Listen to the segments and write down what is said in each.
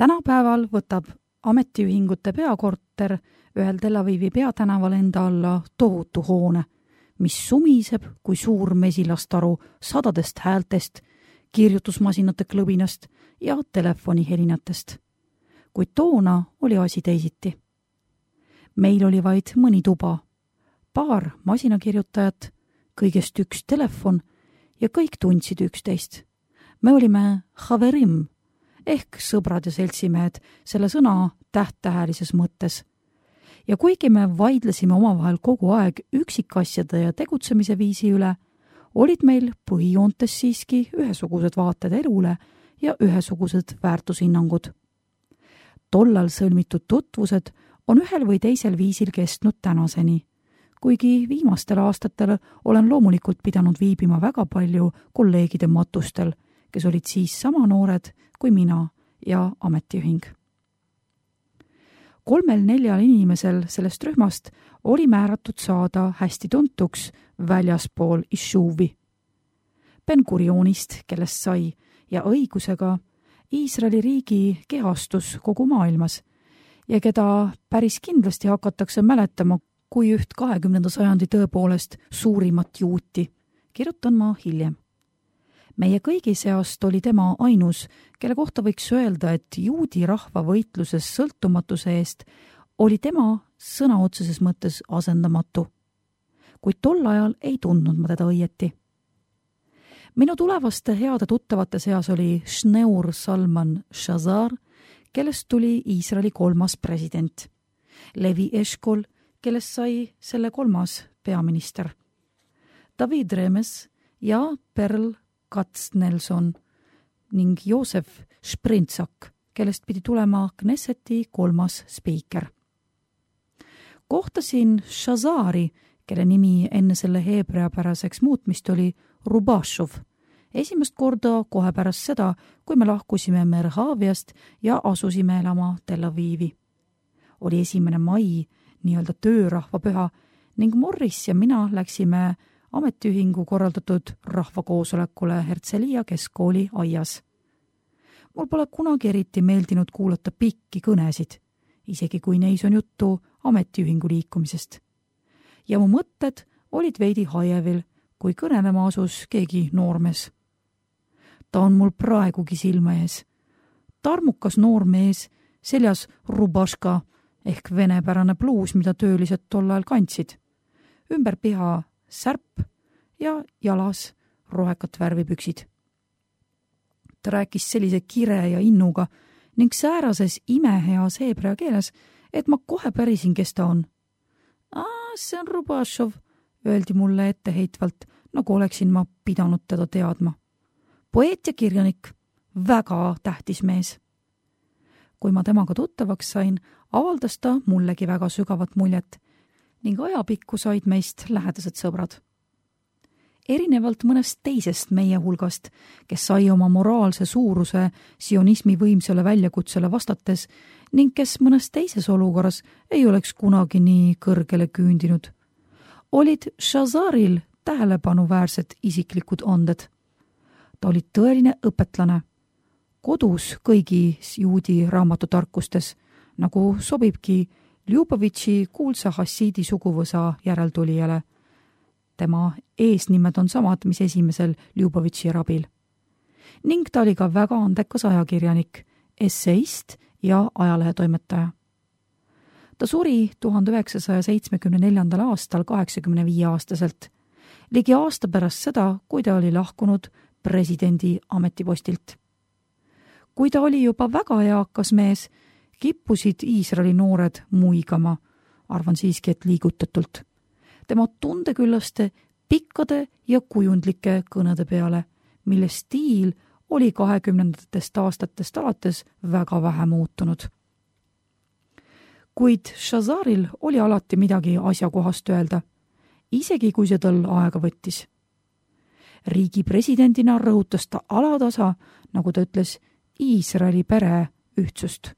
Tänapäeval võtab ametiühingute peakorter ühel Tel Avivi peatänaval enda alla tohutu hoone, mis sumiseb kui suur mesilastaru sadadest häältest, kirjutusmasinate klõbinast ja telefonihelinatest. Kuid toona oli asi teisiti. Meil oli vaid mõni tuba, paar masinakirjutajat, kõigest üks telefon ja kõik tundsid üksteist. Me olime haverim ehk sõbrad ja seltsimehed selle sõna tähtähelises mõttes. Ja kuigi me vaidlesime omavahel kogu aeg üksikasjade ja tegutsemise viisi üle, olid meil põhijoontes siiski ühesugused vaated elule ja ühesugused väärtushinnangud. Tollal sõlmitud tutvused on ühel või teisel viisil kestnud tänaseni, kuigi viimastel aastatel olen loomulikult pidanud viibima väga palju kolleegide matustel, kes olid siis sama noored kui mina ja ametiühing. 3-4 inimesel sellest rühmast oli määratud saada hästi tuntuks väljaspool Ishuvi. Ben-Gurionist, kellest sai ja õigusega Iisraeli riigi kehastus kogu maailmas ja keda päris kindlasti hakatakse mäletama kui üht 20. sajandi tõepoolest suurimat juuti, kirjutan ma hiljem. Meie kõigi seast oli tema ainus, kelle kohta võiks öelda, et juudi rahva võitluses sõltumatuse eest oli tema sõna otseses mõttes asendamatu. Kuid tol ajal ei tundnud ma teda õieti. Minu tulevaste heade tuttavate seas oli Shneur Salman Shazar, kellest tuli Iisraeli 3. president, Levi Eshkol, kellest sai selle 3. peaminister, David Remes ja Perl Katz-Nelson ning Joosef Sprintsak, kellest pidi tulema Knesseti 3. spiiker. Kohtasin Shazari, kelle nimi enne selle heebreapäraseks muutmist oli Rubashov, esimest korda kohe pärast seda, kui me lahkusime Merhaviast ja asusime elama Tel Avivi. Oli 1. mai, nii-öelda töörahvapüha, ning Morris ja mina läksime ametiühingu korraldatud rahvakoosolekule Herzliya keskkooli aias. Mul pole kunagi eriti meeldinud kuulata pikki kõnesid, isegi kui neis on juttu ametiühingu liikumisest. Ja mu mõtted olid veidi hajevil, kui kõnelema asus keegi noormees. Ta on mul praegugi silma ees. Tarmukas noormees, seljas rubaška ehk venepärane pluus, mida töölised tollal kandsid. Ümber piha särp ja jalas rohekat värvipüksid. Ta rääkis sellise kire ja innuga ning säärases imeheas heebrea keeles, et ma kohe pärisin, kes ta on. See on Rubašov, öeldi mulle etteheitvalt, nagu oleksin ma pidanud teda teadma. Poeet ja kirjanik, väga tähtis mees. Kui ma temaga tuttavaks sain, avaldas ta mullegi väga sügavat muljet ning ajapikku said meist lähedased sõbrad. Erinevalt mõnest teisest meie hulgast, kes sai oma moraalse suuruse sionismi võimsale väljakutsele vastates ning kes mõnes teises olukorras ei oleks kunagi nii kõrgele küündinud, olid Shazaril tähelepanuväärsed isiklikud anded. Ta oli tõeline õpetlane, kodus kõigis juudi raamatutarkustes, nagu sobibki Ljubovitši kuulsa hassiidi suguvõsa järeltulijale. Tema eesnimed on samad, mis esimesel Ljubovitši rabil. Ning ta oli ka väga andekas ajakirjanik, esseist ja ajalehetoimetaja. Ta suri 1974. aastal 85-aastaselt, ligi aasta pärast seda, kui ta oli lahkunud presidendi ametipostilt. Kui ta oli juba väga eakas mees, kippusid Iisraeli noored muigama, arvan siiski, et liigutatult. Tema tundeküllaste, pikkade ja kujundlike kõnede peale, mille stiil oli 20. aastatest alates väga vähe muutunud. Kuid Shazaril oli alati midagi asjakohast öelda, isegi kui see tal aega võttis. Riigi presidendina rõhutas ta alatasa, nagu ta ütles, Iisraeli pere ühtsust.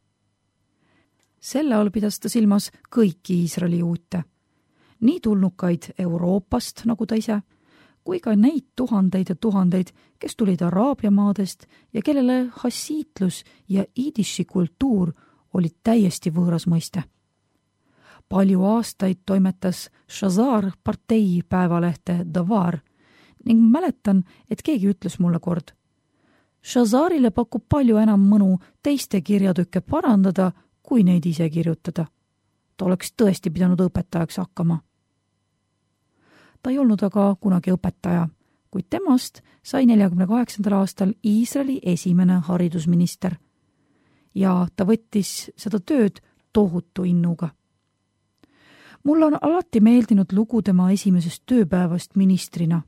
Selle all pidas ta silmas kõiki Iisraeli juute, nii tulnukaid Euroopast, nagu ta ise, kui ka neid tuhandeid ja tuhandeid, kes tulid Araabia maadest ja kellele hassiitlus ja idiši kultuur olid täiesti võõras mõiste. Palju aastaid toimetas Shazar partei päevalehte Davar ning mäletan, et keegi ütles mulle kord: Shazarile pakub palju enam mõnu teiste kirjatükke parandada, kui neid ise kirjutada. Ta oleks tõesti pidanud õpetajaks hakkama. Ta ei olnud aga kunagi õpetaja, kuid temast sai 1948. aastal Iisraeli esimene haridusminister. Ja ta võttis seda tööd tohutu innuga. Mulle on alati meeldinud lugu tema esimesest tööpäevast ministrina,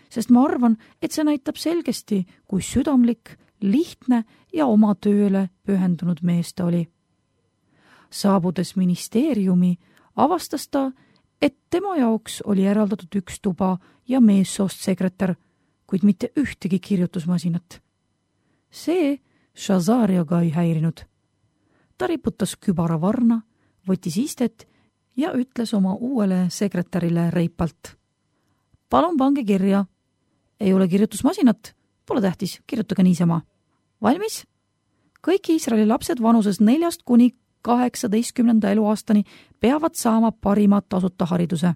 sest ma arvan, et see näitab selgesti, kui südamlik, lihtne ja oma tööle pühendunud mees ta oli. Saabudes ministeeriumi avastas ta, et tema jaoks oli eraldatud üks tuba ja meessoost sekretär, kuid mitte ühtegi kirjutusmasinat. See Shazari aga ei häirinud. Ta riputas kübara varna, võttis istet ja ütles oma uuele sekretärile reipalt: palun pange kirja. Ei ole kirjutusmasinat? Pole tähtis, kirjutage niisama. Valmis? Kõik Iisraeli lapsed vanuses 4 kuni 18 eluaastani peavad saama parima tasuta hariduse.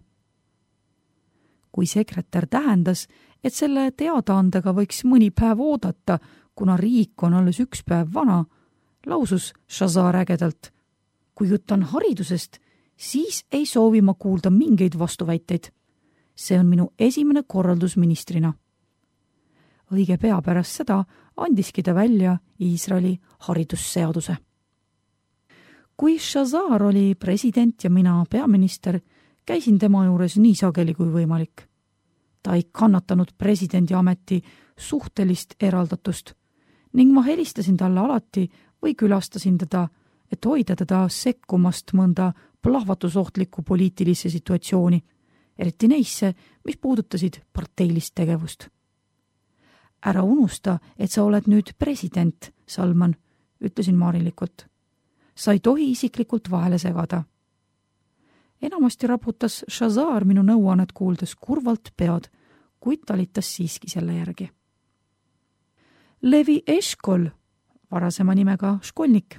Kui sekretär tähendas, et selle teadaandega võiks mõni päev oodata, kuna riik on alles 1 päev vana, lausus Shazar ägedalt: kui jutt on haridusest, siis ei soovi ma kuulda mingeid vastuväiteid. See on minu esimene korraldus ministrina. Õige pea pärast seda andiski ta välja Iisraeli haridusseaduse. Kui Shazar oli president ja mina peaminister, käisin tema juures nii sageli kui võimalik. Ta ei kannatanud presidendi ameti suhtelist eraldatust ning ma helistasin talle alati või külastasin teda, et hoida teda sekkumast mõnda plahvatusohtlikku poliitilisse situatsiooni, eriti neisse, mis puudutasid parteilist tegevust. Ära unusta, et sa oled nüüd president, Salman, ütlesin maarilikult. Sa ei tohi isiklikult vahele segada. Enamasti raputas Shazar minu nõuannet kuuldes kurvalt pead, kuid talitas siiski selle järgi. Levi Eshkol, varasema nimega Školnik,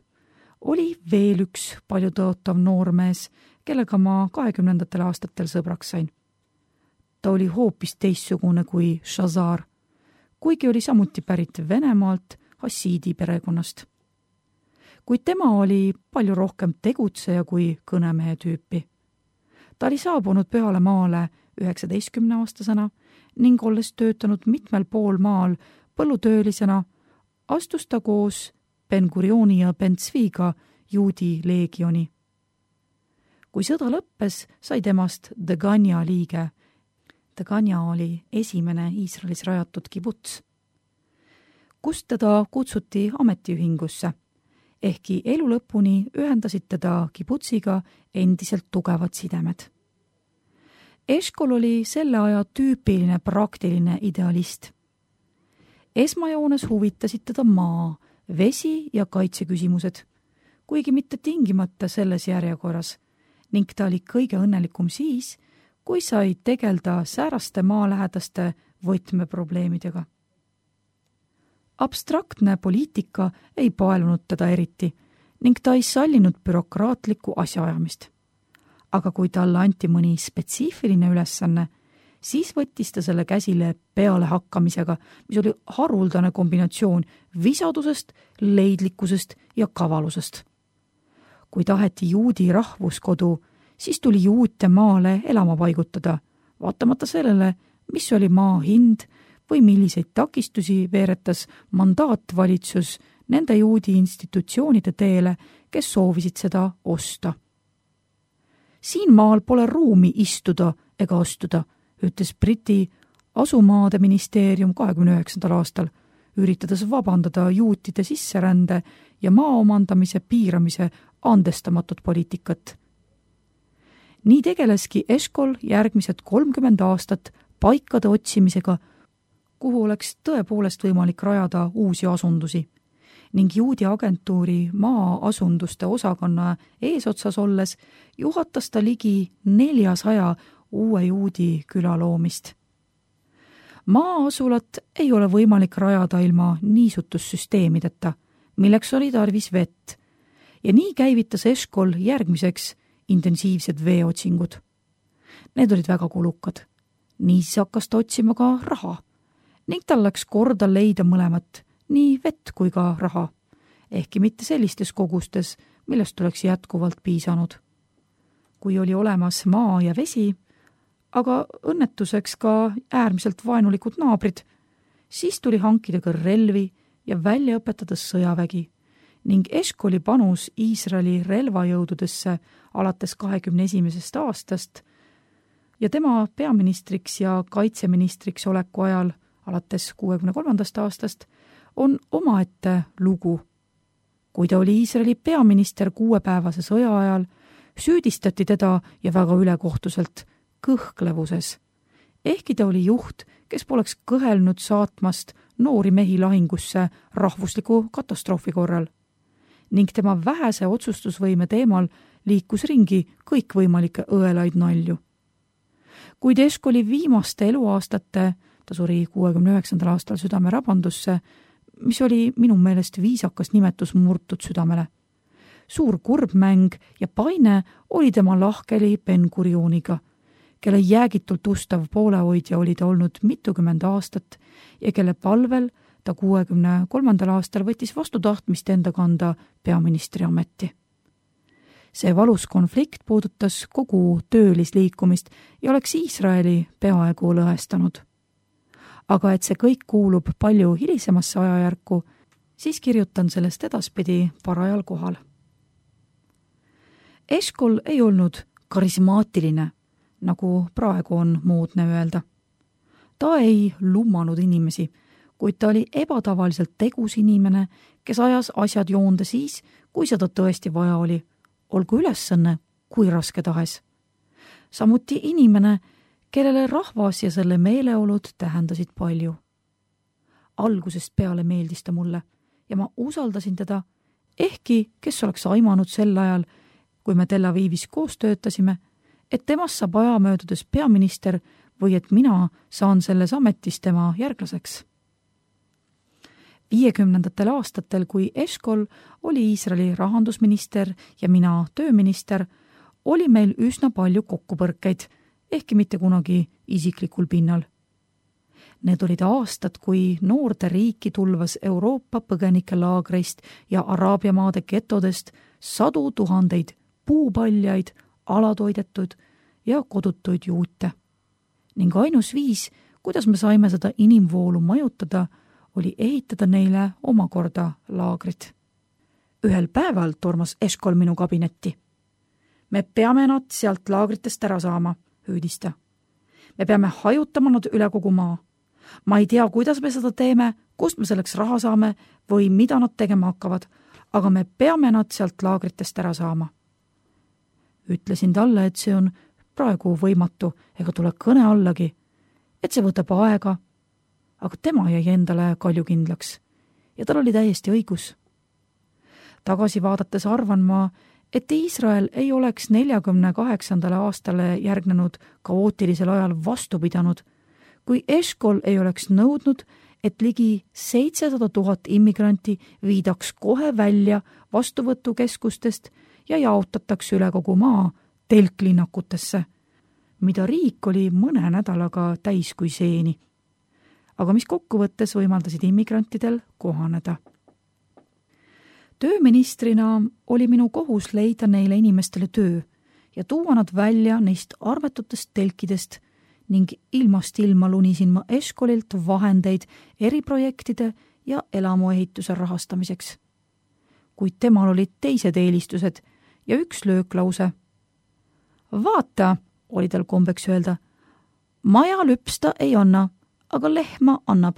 oli veel üks paljutõotav noormees, kellega ma 20. aastatel sõbraks sain. Ta oli hoopis teistsugune kui Shazar, kuigi oli samuti pärit Venemaalt hassiidi perekonnast. Kuid tema oli palju rohkem tegutseja kui kõnemehe tüüpi. Ta oli saabunud peale maale 19-aastasena ning olles töötanud mitmel pool maal põllutöölisena, astus ta koos Ben-Gurioni ja Ben-Tzviga juudi leegioni. Kui sõda lõppes, sai temast Degania liige. Degania oli esimene Iisraelis rajatud kibuts, kust teda kutsuti ametiühingusse, ehkki elu lõpuni ühendasid teda kibutsiga endiselt tugevad sidemed. Eshkol oli selle aja tüüpiline praktiline idealist. Esmajoones huvitasid teda maa, vesi ja kaitseküsimused, kuigi mitte tingimata selles järjekorras, ning ta oli kõige õnnelikum siis, kui sai tegelda sääraste maalähedaste võtmeprobleemidega. Abstraktne poliitika ei paelunud teda eriti ning ta ei sallinud bürokraatlikku asjaajamist. Aga kui talle anti mõni spetsiifiline ülesanne, siis võttis ta selle käsile pealehakkamisega, mis oli haruldane kombinatsioon visadusest, leidlikkusest ja kavalusest. Kui taheti juudi rahvuskodu, siis tuli juute maale elama paigutada, vaatamata sellele, mis oli maa hind või milliseid takistusi veeretas mandaatvalitsus nende juudi institutsioonide teele, kes soovisid seda osta. Siin maal pole ruumi istuda ega ostuda, ütles Briti asumaade ministeerium 29. aastal, üritades vabandada juutide sisserände ja maa omandamise piiramise andestamatut poliitikat. Nii tegeleski Eshkol järgmised 30 aastat paikade otsimisega, kuhu oleks tõepoolest võimalik rajada uusi asundusi ning juudi agentuuri maa-asunduste osakonna eesotsas olles juhatas ta ligi 400 uue juudi küla loomist. Maa-asulat ei ole võimalik rajada ilma niisutussüsteemideta, milleks oli tarvis vett. Ja nii käivitas Eškol järgmiseks intensiivsed veeotsingud. Need olid väga kulukad. Niisiis hakkas ta otsima ka raha ning tal läks korda leida mõlemat, nii vett kui ka raha, ehkki mitte sellistes kogustes, millest oleks jätkuvalt piisanud. Kui oli olemas maa ja vesi, aga õnnetuseks ka äärmiselt vaenulikud naabrid, siis tuli hankida ka relvi ja välja õpetada sõjavägi ning Eškoli panus Iisraeli relvajõududesse alates 21. aastast ja tema peaministriks ja kaitseministriks oleku ajal alates 63. aastast on omaette lugu. Kui ta oli Iisraeli peaminister 6-päevase sõja ajal, süüdistati teda ja väga ülekohtuselt kõhklevuses. Ehkki ta oli juht, kes poleks kõhelnud saatmast noori mehi lahingusse rahvusliku katastroofi korral. Ning tema vähese otsustusvõime teemal liikus ringi kõikvõimalikke õelaid nalju. Kuid Eškoli viimaste eluaastate, ta suri 69. aastal südamerabandusse, mis oli minu meelest viisakas nimetus murtud südamele. Suur kurbmäng ja paine oli tema lahkeli Ben-Gurioniga, kelle jäägitult ustav poolehoidja oli ta olnud mitukümmend aastat ja kelle palvel ta 63. aastal võttis vastu tahtmist enda kanda peaministri ameti. See valus konflikt puudutas kogu töölisliikumist ja oleks Iisraeli peaaegu lõhestanud. Aga et see kõik kuulub palju hilisemasse ajajärku, siis kirjutan sellest edaspidi parajal kohal. Eškol ei olnud karismaatiline, nagu praegu on moodne öelda. Ta ei lummanud inimesi, kuid ta oli ebatavaliselt tegus inimene, kes ajas asjad joonde siis, kui seda tõesti vaja oli, olgu ülesanne kui raske tahes. Samuti inimene, kellele rahvas ja selle meeleolud tähendasid palju. Algusest peale meeldis ta mulle ja ma usaldasin teda, ehkki kes oleks aimanud sel ajal, kui me Tel Avivis koos töötasime, et temast saab aja möödudes peaminister või et mina saan selles ametis tema järglaseks. 50. aastatel, kui Eškol oli Iisraeli rahandusminister ja mina tööminister, oli meil üsna palju kokkupõrkeid, ehkki mitte kunagi isiklikul pinnal. Need olid aastad, kui noorte riiki tulvas Euroopa põgenikelaagreist ja Araabia maade getodest 100 000 puupaljaid, alatoidetud ja kodutuid juute. Ning ainus viis, kuidas me saime seda inimvoolu majutada, oli ehitada neile omakorda laagrid. Ühel päeval tormas Eškol minu kabinetti. Me peame nad sealt laagritest ära saama, hüüdis ta. Me peame hajutama nad üle kogu maa. Ma ei tea, kuidas me seda teeme, kust me selleks raha saame või mida nad tegema hakkavad, aga me peame nad sealt laagritest ära saama. Ütlesin talle, et see on praegu võimatu ega tule kõne allagi, et see võtab aega, aga tema jäi endale kaljukindlaks ja tal oli täiesti õigus. Tagasi vaadates arvan ma, et Iisrael ei oleks 48. aastale järgnenud kaootilisel ajal vastu pidanud, kui Eškol ei oleks nõudnud, et ligi 700 000 immigranti viidaks kohe välja vastuvõtukeskustest ja jaotatakse üle kogu maa telklinnakutesse, mida riik oli mõne nädalaga täis kui seeni, aga mis kokkuvõttes võimaldasid immigrantidel kohaneda. Tööministrina oli minu kohus leida neile inimestele töö ja tuua nad välja neist arvetutest telkidest ning ilmast ilma lunisin ma Eškolilt vahendeid eriprojektide ja elamuehituse rahastamiseks. Kuid temal olid teised eelistused ja üks lööklause. Vaata, oli tal kombeks öelda, maja lüpsta ei anna, aga lehma annab.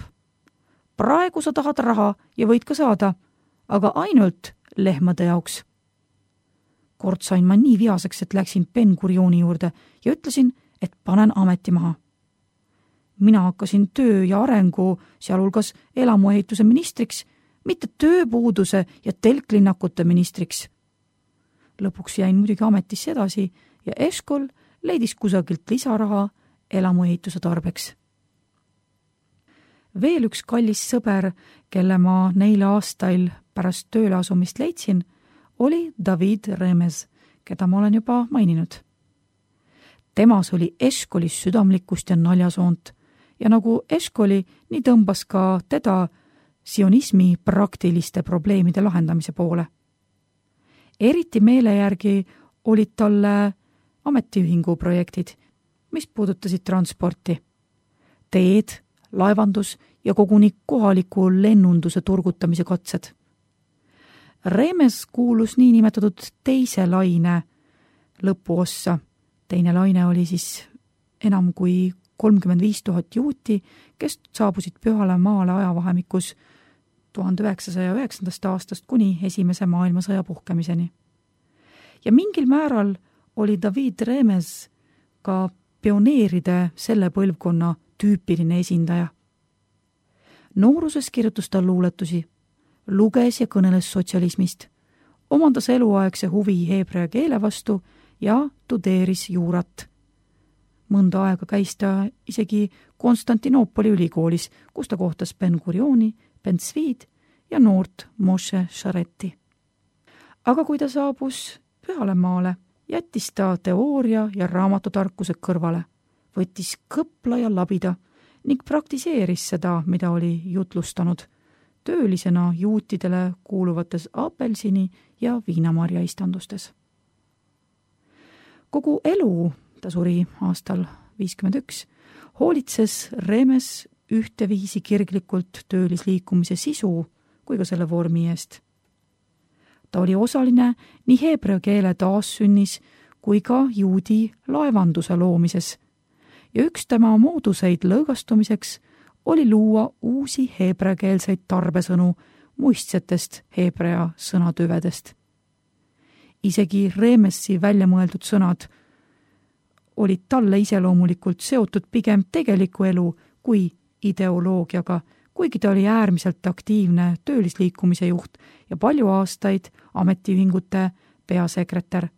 Praegu sa tahad raha ja võid ka saada, aga ainult lehmade jaoks. Kord sain ma nii viaseks, et läksin Ben-Gurioni juurde ja ütlesin, et panen ameti maha. Mina hakkasin töö ja arengu, sealhulgas elamuehituse ministriks, mitte tööpuuduse ja telklinnakute ministriks. Lõpuks jäin muidugi ametisse edasi ja Eškol leidis kusagilt lisaraha elamuehituse tarbeks. Veel üks kallis sõber, kelle ma neil aastail pärast tööle asumist leidsin, oli David Remes, keda ma olen juba maininud. Temas oli Eškolis südamlikkust ja naljasoont ja nagu Eškoli, nii tõmbas ka teda sionismi praktiliste probleemide lahendamise poole. Eriti meele järgi olid talle ametiühingu projektid, mis puudutasid transporti, teed, laevandus ja koguni kohaliku lennunduse turgutamise katsed. Remes kuulus niinimetatud teise laine lõpuossa. Teine laine oli siis enam kui 35 000 juuti, kes saabusid Pühale maale ajavahemikus 1909. aastast kuni Esimese maailmasõja puhkemiseni. Ja mingil määral oli David Remes ka pioneeride selle põlvkonna tüüpiline esindaja. Nooruses kirjutas ta luuletusi, luges ja kõneles sotsialismist, omandas eluaegse huvi heebrea keele vastu ja tudeeris juurat. Mõnda aega käis ta isegi Konstantinoopoli ülikoolis, kus ta kohtas Ben-Gurioni, Ben-Zvid ja noort Moshe Sharetti. Aga kui ta saabus Pühale maale, jättis ta teooria ja raamatutarkused kõrvale, võttis kõpla ja labida ning praktiseeris seda, mida oli jutlustanud, töölisena juutidele kuuluvates apelsini ja viinamarja istandustes. Kogu elu, ta suri aastal 51, hoolitses Remes ühteviisi kirglikult töölisliikumise sisu kui ka selle vormi eest. Ta oli osaline nii heebrea keele taassünnis kui ka juudi laevanduse loomises ja üks tema mooduseid lõõgastumiseks oli luua uusi heebreakeelseid tarbesõnu muistsetest heebrea sõnatüvedest. Isegi Remesi välja mõeldud sõnad olid talle iseloomulikult seotud pigem tegeliku elu kui ideoloogiaga, kuigi ta oli äärmiselt aktiivne töölisliikumise juht ja palju aastaid ametiühingute peasekretär.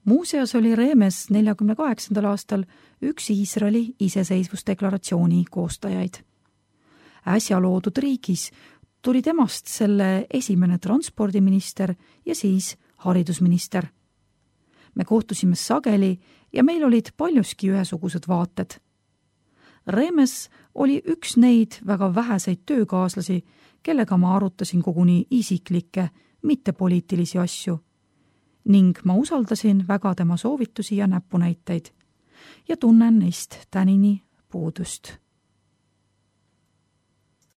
Muuseas oli Remes 1948. aastal üks Iisraeli iseseisvusdeklaratsiooni koostajaid. Äsja loodud riigis tuli temast selle esimene transpordiminister ja siis haridusminister. Me kohtusime sageli ja meil olid paljuski ühesugused vaated. Remes oli üks neid väga väheseid töökaaslasi, kellega ma arutasin koguni isiklikke, mitte poliitilisi asju ning ma usaldasin väga tema soovitusi ja näpunäiteid ja tunnen neist tänini puudust.